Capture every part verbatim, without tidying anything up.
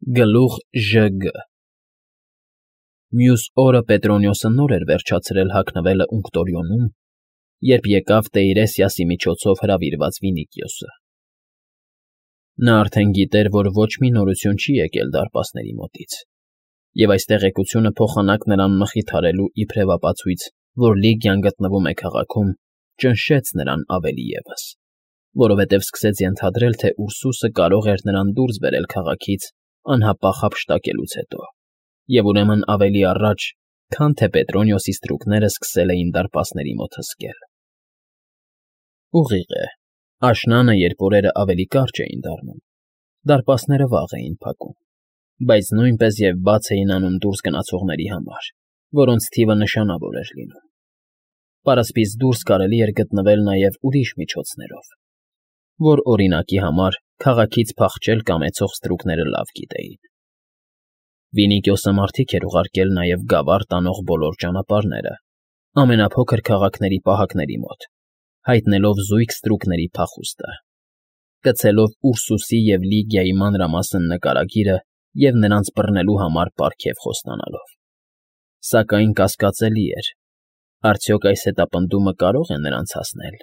Գլուխ Ժ Գ Մյուս օրը Պետրոնիոսը նոր էր վերջացրել հագնվելը Ունկտորիոնում, երբ եկավ Տեյրեսիասի միջոցով հրավիրված Վինիքիոսը. նա արդեն գիտեր, որ ոչ մի նորություն չի եկել դարպասների մոտից, և այս տեղեկությունը փոխանակ նրան մխիթարելու իբրև ապացույց, որ Լիգիան գտնվում է քաղաքում, ճնշեց նրան ավելի ևս, որովհետև սկսեց ենթադրել, թե Ուրսուսը կարող էր նրան դուրս բերել քաղաքից անհապաղ հափշտակելուց հետո, և ուրեմն ավելի առաջ, քան թե Պետրոնիոսի ստրուկները սկսել էին դարպասների մոտ հսկել։ Ուղիղ է, աշնանը, երբ օրերը ավելի կարճ էին դառնում, դարպասները վաղ էին փակում, բայց նույնպես և բաց էին անում դուրս գնացողների համար, որոնց թիվը նշանավոր էր լինում։ Պարսպից դուրս կարելի էր գտնվել նաև ուրիշ միջոցներով, որ, օրինակի համար, քաղաքից փախչել կամեցող ստրուկները լավ գիտեին։ Վինիքիոսը մարդիկ էր ուղարկել նաև գավառ տանող բոլոր ճանապարհները, ամենափոքր քաղաքների պահակների մոտ, հայտնելով զույգ ստրուկների փախուստը, գցելով Ուրսուսի և Լիգիայի մանրամասն նկարագիրը և նրանց բռնելու համար պարգև խոստանալով։ Սակայն կասկածելի էր, արդյոք այս հետապնդումը կարող է նրանց հասնել,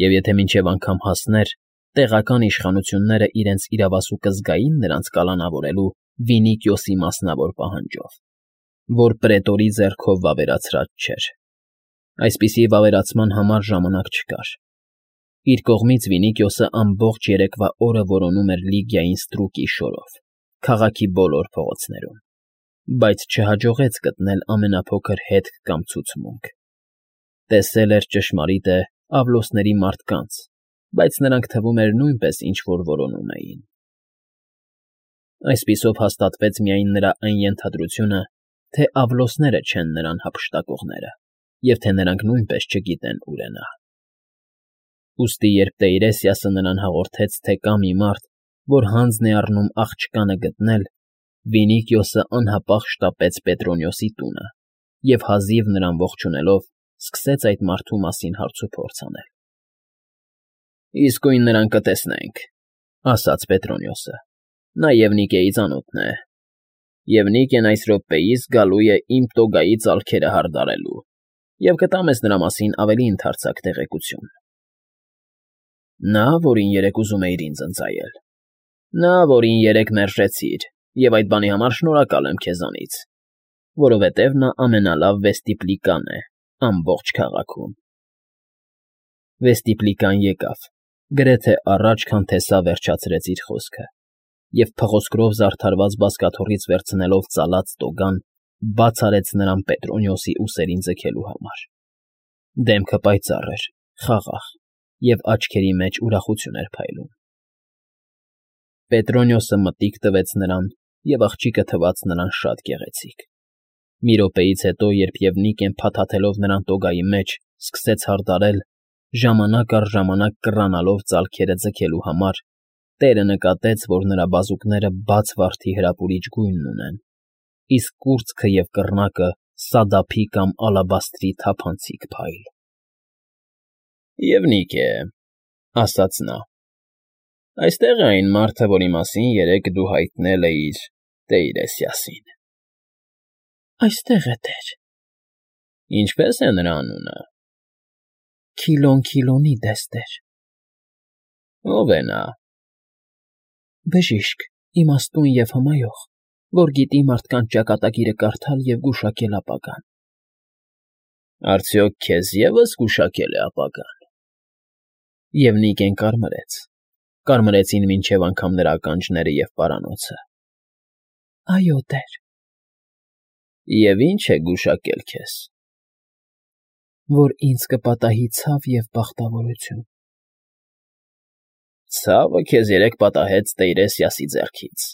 և եթե մինչև անգամ հասներ, տեղական իշխանությունները իրենց իրավասուկը զգայի՞ն նրանց կալանավորելու Վինիքիոսի մասնավոր պահանջով, որ պրետորի ձեռքով վավերացրած չէր։ Այսպիսի վավերացման համար ժամանակ չկար։ Իր կողմից Վինիքիոսը ամբողջ երեկվա օրը որոնում էր Լիգիային ստրուկի շորով, քաղաքի բոլոր փողոցներում, բայց չհաջողեց գտնել ամենափոքր հետք կամ ցուցմունք։ Տեսել էր, ճշմարիտ է, Ավլոսների մարդկանց, բայց նրանք թվում էր նույնպես ինչ֊որ որոնում էին։ Այսպիսով հաստատվեց միայն նրա այն ենթադրությունը, թե Ավլոսները չեն նրան հափշտակողները, և թե նրանք նույնպես չգիտեն ուր է նա։ Ուստի երբ Տեյրեսիասը նրան հաղորդեց, թե կա մի մարդ, որ հանձն է առնում աղջկանը գտնել, Վինիքիոսը անհապաղ շտապեց Պետրոնիոսի տունը և, հազիվ նրան ողջունելով, սկսեց այդ մարդու մասին հարցուփորձ անել։ ֊ Իսկույն նրան կտեսնենք, ֊ ասաց Պետրոնիոսը։ ֊ Նա Եվնիկեի ծանոթն է, և Նիկեն այս րոպեիս գալու է իմ տոգայի ծալքերը հարդարելու և կտա մեզ նրա մասին ավելի ընդարձակ տեղեկություն։ ֊ Նա, որին երեկ ուզում էիր ինձ ընծայել։ ֊ Նա, որին երեկ մերժեցիր, և այդ բանի համար շնորհակալ եմ քեզանից, որովհետև նա ամենալավ վեստիպլիկան է ամբողջ քաղաքում։ Վեստիպլիկան եկավ, գրեթե առաջ, քան թե սա վերջացրեց իր խոսքը, և փղոսկրով զարդարված բազկաթոռից վերցնելով ծալած տոգան, բաց արեց նրան Պետրոնիոսի ուսերին ձգելու համար։ Դեմքը պայծառ էր, խաղաղ, և աչքերի մեջ ուրախություն էր փայլում։ Պետրոնիոսը մտիկ տվեց նրան, և աղջիկը թվաց նրան շատ գեղեցիկ։ Մի րոպեից հետո, երբ Եվնիկեն փաթաթելով նրան տոգայի մեջ, սկսեց հարդարել, ժամանակ առ ժամանակ կռանալով ծալքերը ձգելու համար, տերը նկատեց, որ նրա բազուկները բաց վարդի հրապուրիչ գույն ունեն, իսկ կուրծքը և կռնակը սադափի կամ ալաբաստրի թափանցիկ փայլ։ ֊ Եվնիկ է, ֊ ասաց նա։ ֊ Այստեղ է այն մարդը, որի մասին երեկ դու հայտնել էիր Տեյրեսիասին։ ֊ Այստեղ է, տեր։ ֊ Ինչպե՞ս է նրա անունը։ ֊ Քիլոն Քիլոնիդես, տեր։ ֊ Ո՞վ է նա։ ֊ Բժիշկ, իմաստուն և հմայող, որ գիտի մարդկանց ճակատագիրը կարդալ և գուշակել ապագան։ ֊ Արդյոք քեզ ևս գուշակել է ապագան։ Եվնիկեն կարմրեց, կարմրեցին մինչև անգամ նրա ականջները և պարանոցը։ ֊ Այո, տեր։ ֊ Եվ ի՞նչ է գուշակել քեզ։ ֊ Որ ինձ կպատահի ցավ և բախտավորություն։ ֊ Ցավը քեզ երեկ պատահեց Տեյրեսիասի ձեռքից,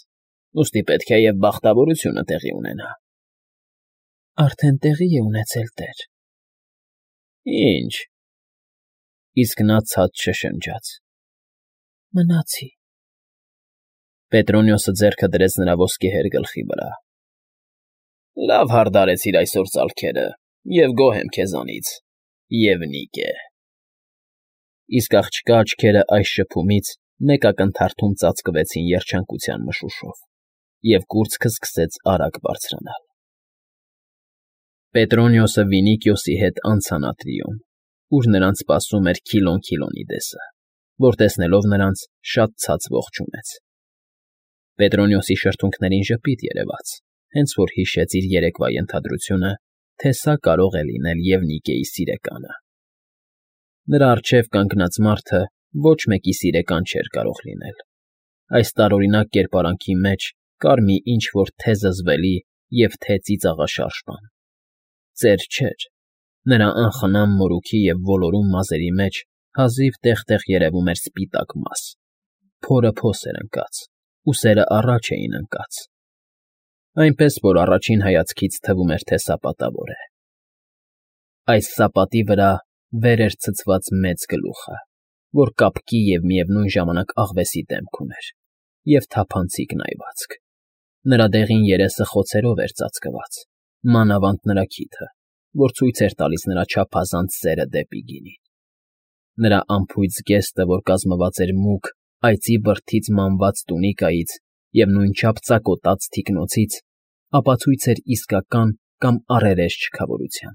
ուստի պետք է և բախտավորությունը տեղի ունենա։ ֊ Արդեն տեղի է ունեցել, տեր։ ֊ Ի՞նչ։ ֊ Իսկ նա ցած շշնջաց։ ֊ Մնացի։ Պետրոնիոսը ձեռքը դրեց նրա ոսկեհեր գլխի վրա։ ֊ Լավ հարդարեցիր այսօր ծալքերը և գոհ եմ քեզանից, Եվնիկ է։ Իսկ աղջկա աչքերը այս շփումից մեկ ակնթարթում ծածկվեցին երջանկության մշուշով, և կուրծքը սկսեց արագ բարձրանալ։ Պետրոնիոսը Վինիկիոսի հետ անցան ատրիում, ուր նրանց սպասում էր Քիլոն Քիլոնիդեսը, որ տեսնելով նրանց շատ ցած ողջունեց։ Պետրոնիոսի շրթունքներին ժպիտ երևաց, հենց որ հիշեց իր երեկվա ենթադրությունը, թե սա կարող է լինել Եվնիկիայի սիրեկանը։ Նրա առջև կանգնած մարդը ոչ մեկի սիրեկան չէր կարող լինել։ Այս տարօրինակ կերպարանքի մեջ կար մի ինչ֊որ թե՛ զզվելի և թե՛ ծիծաղաշարժ բան։ Ծեր չէր, նրա անխնամ մորուքի և ոլորուն մազերի մեջ հազիվ տեղ֊տեղ երևում էր սպիտակ մաս, փորը փոս էր ընկած, ուսերը առաջ էին ընկած, այնպես որ առաջին հայացքից թվում էր, թե սա պատավոր է։ Այս սապատի վրա վեր էր ցցված մեծ գլուխը, որ կապկի և միևնույն ժամանակ աղվեսի դեմք ուներ, և թափանցիկ նայվածք։ Նրա դեղին երեսը խոցերով էր ծածկված, մանավանդ նրա քիթը, որ ցույց էր տալիս նրա չափազանց սերը դեպի գինին։ Նրա անփույց զգեստը, որ կազմված էր մուգ, այծի բրդից մանված տունիկայից և նույնչափ ծակոտած թիկնոցից, ապացույց էր իսկական կամ առերես չքավորության։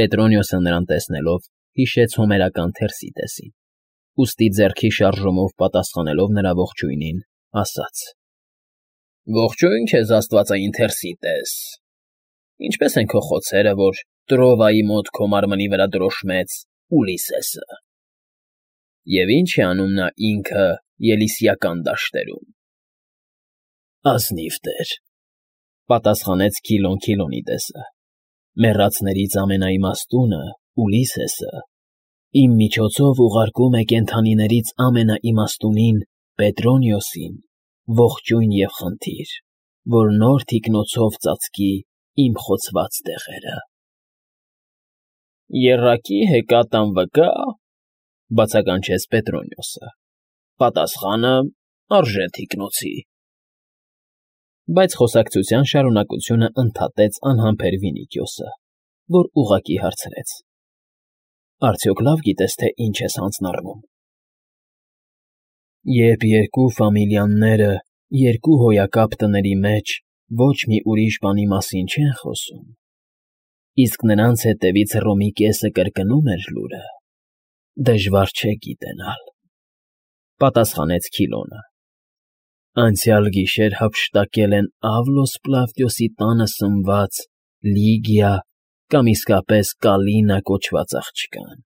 Պետրոնիոսը նրան տեսնելով հիշեց հոմերական Թերսիտեսին, ուստի ձեռքի շարժումով պատասխանելով նրա ողջույնին, ասաց. «Ողջույն քեզ, աստվածային Թերսիտես, ինչպե՞ս են քո խոցերը, որ Տրովայի մոտ քո մարմնի վրա դրոշմեց Ուլիսեսը, և ի՞նչ է անում նա ինքը Ելիսիական դաշտերում»։ ֊ Ազնիվ տեր,֊ պատասխանեց Քիլոն Քիլոնիդեսը,֊ մեռածներից ամենաիմաստունը՝ Ուլիսեսը, իմ միջոցով ուղարկում է կենդանիներից ամենաիմաստունին՝ Պետրոնիոսին, ողջույն և խնդիր, որ նոր թիկնոցով ծածկի իմ խոցված տեղերը։ ֊ Եռակի հեկատ անվկա,֊ բացականչեց Պետրոնիոսը,֊ պատասխանը արժե թիկնոցի։ Բայց խոսակցության շարունակությունը ընդհատեց անհամբեր Վինիկիոսը, որ ուղղակի հարցրեց. «Արդյոք լավ գիտես, թե ինչ ես հանձնառնում»։ ֊ Երբ երկու ֆամիլիաները երկու հոյակապ տների մեջ ոչ մի ուրիշ բանի մասին չեն խոսում, իսկ նրանց հետևից Հռոմի կեսը կրկնում էր լուրը, դժվար չէ գիտենալ,֊ պատասխանեց Քիլոնը։ Անցյալ գիշեր հափշտակել են Ավլոս Պլավդիոսի տանը սնված Լիգիա կամ իսկապես Կալինա կոչված աղջկան,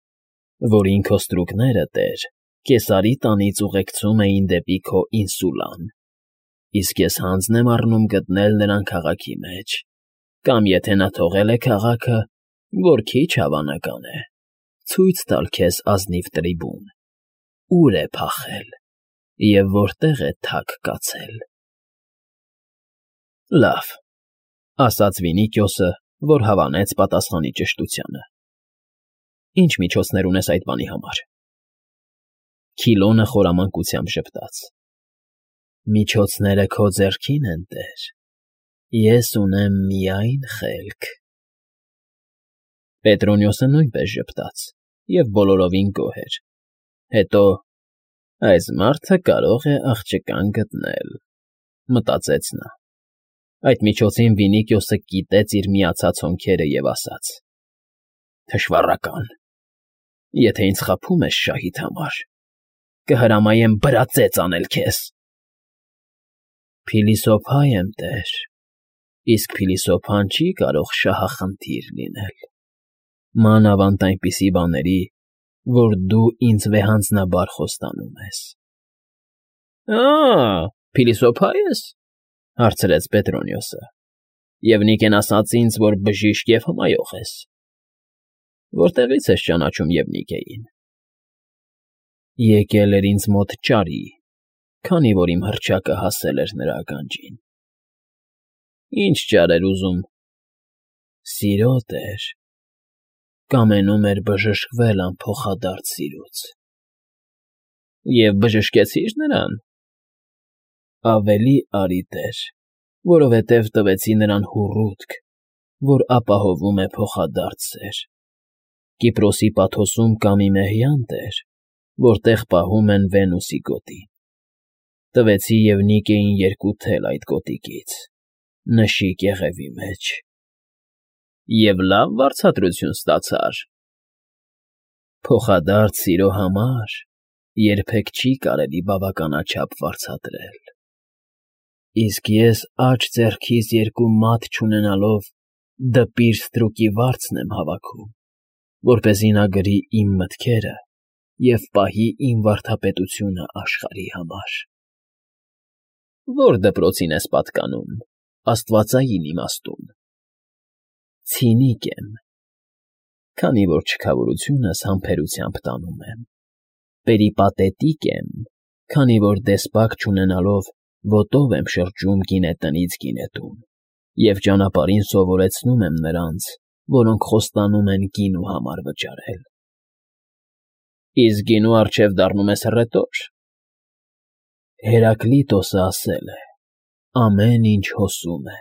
որին քո ստրուկները, տեր, Կեսարի տանից ուղեկցում էին դեպի քո ինսուլան, իսկ ես հանձն եմ առնում գտնել նրան քաղաքի մեջ, կամ եթե նա թողել է քաղաքը, որ քիչ հավանական է, ցույց տալ քեզ ազնիվ տրիբուն, ուր է փախել և որտեղ է թաք կացել։ ֊ Լավ,֊ ասաց Վինիկիոսը, որ հավանեց պատասխանի ճշտությանը։ ֊ Ի՞նչ միջոցներ ունես այդ բանի համար։ Քիլոնը խորամանկությամբ ժպտաց. ֊ Միջոցները քո ձեռքին են, տեր, ես ունեմ միայն խելք։ Պետրոնիոսը նույնպես ժպտաց և բոլորովին գոհ էր։ Հետո «Այս մարդը կարող է աղջկան գտնել», մտածեց նա։ Այդ միջոցին Վինիկիոսը կիտեց իր միացած հոնքերը և ասաց. «Թշվառական, եթե ինձ խաբում ես շահիդ համար, կհրամայեմ բրածեծ անել քեզ»։ ֊ Փիլիսոփա եմ, տեր, իսկ փիլիսոփան չի կարող շահախնդիր լինել, մանավանդ այնպիսի բաների, որ դու ինձ վեհանձնաբար խոստանում ես։ ֊ Ա՜, փիլիսոփա ես,֊ հարցրեց Պետրոնիոսը,֊ և Նիկեն ասաց ինձ, որ բժիշկ և հմայող ես։ Որտեղի՞ց ես ճանաչում Եվնիկեին։ ֊ Եկել էր ինձ մոտ ճարի, քանի որ իմ հռչակը հասել էր նրա ականջին։ ֊ Ի՞նչ ճար էր ուզում։ ֊ Սիրո, տեր, կամենում էր բժշկվել անփոխադարձ սիրուց։ ֊ Եվ բժշկեցի՞ր նրան։ ֊ Ավելի արի, տեր, որովհետև տվեցի նրան հուռուտք, որ ապահովում է փոխադարձ սեր, Կիպրոսի Պաթոսում կա մի մեհյան, տեր, որտեղ պահում են Վենուսի գոտին։ Տվեցի և նիկեին երկու թել այդ կոտիկից, նշիկ եղևի մեջ։ Եվ լավ վարձատրություն ստացա՞ր։ Փոխադարձ սիրո համար երբեք չի կարելի բավականաչափ վարձատրել։ Իսկ ես աջ ձեռքիս երկու մատ չունենալով դպիր ստրուկի վարձն եմ հավաքում, որպեսզի նա գրի իմ մտքերը և պահի իմ վարդապետությունը աշխարհի համար։ Ո՞ր դպրոցին ես պատկանում, աստվածային իմաստուն։ Ցինիկ եմ, քանի որ չքավորությունս համբերությամբ տանում եմ, պերիպատետիկ եմ, քանի որ դեսպակ չունենալով ոտով եմ շրջում գինետնից գինետուն և ճանապարհին սովորեցնում եմ նրանց, որոնք խոստանում են գինու համար վճարել։ Իսկ գինու առջև դառնում ես հռետոր։ Հերակլիտոսը ասել է. ամեն ինչ հոսում է։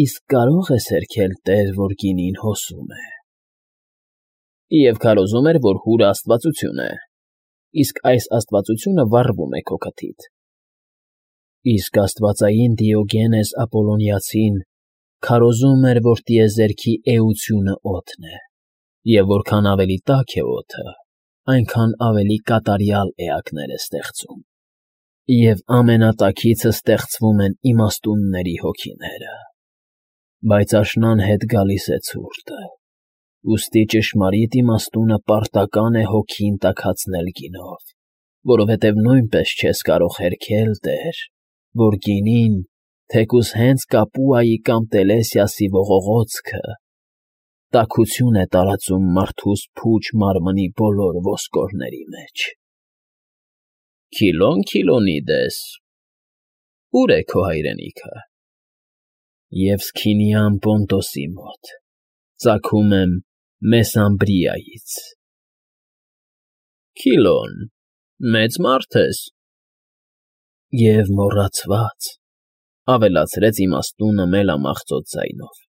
Իսկ կարո՞ղ ես հերքել տեր, որ գինին հոսում է։ Եվ քարոզում էր, որ հուրը աստվածություն է, իսկ այս աստվածությունը վառվում է քո քթից։ Իսկ աստվածային Դիոգենես Ապոլոնիացին քարոզում էր, որ տիեզերքի էությունը օդն է, և որքան ավելի տաք է օդը, այնքան ավելի կատարյալ էակներ է ստեղծում, և ամենատաքիցը ստեղծվում են իմաստունների հոգիները։ Բայց աշնան հետ գալիս է ցուրտը, ուստի ճշմարիտ իմաստությունը պարտական է հոգին տաքացնել գինով, որովհետև նույնպես չես կարող հերքել, տեր, որ գինին, թեկուզ հենց Կապուայի կամ Տելեսիասի ողողոցքը, տաքություն է տարածում մարդուս փուչ մարմնի բոլոր ոսկորների մեջ։ Քիլոն Քիլոնիդես, ո՞ւր է քո հայրենիքը։ Եվսքինիան Պոնտոսի մոտ, ծագում եմ Մեսամբրիայից։ Քիլոն, մեծ մարդ ես։ Եվ մոռացված, ավելացրեց իմաստունը մելամաղձոտ ձայնով։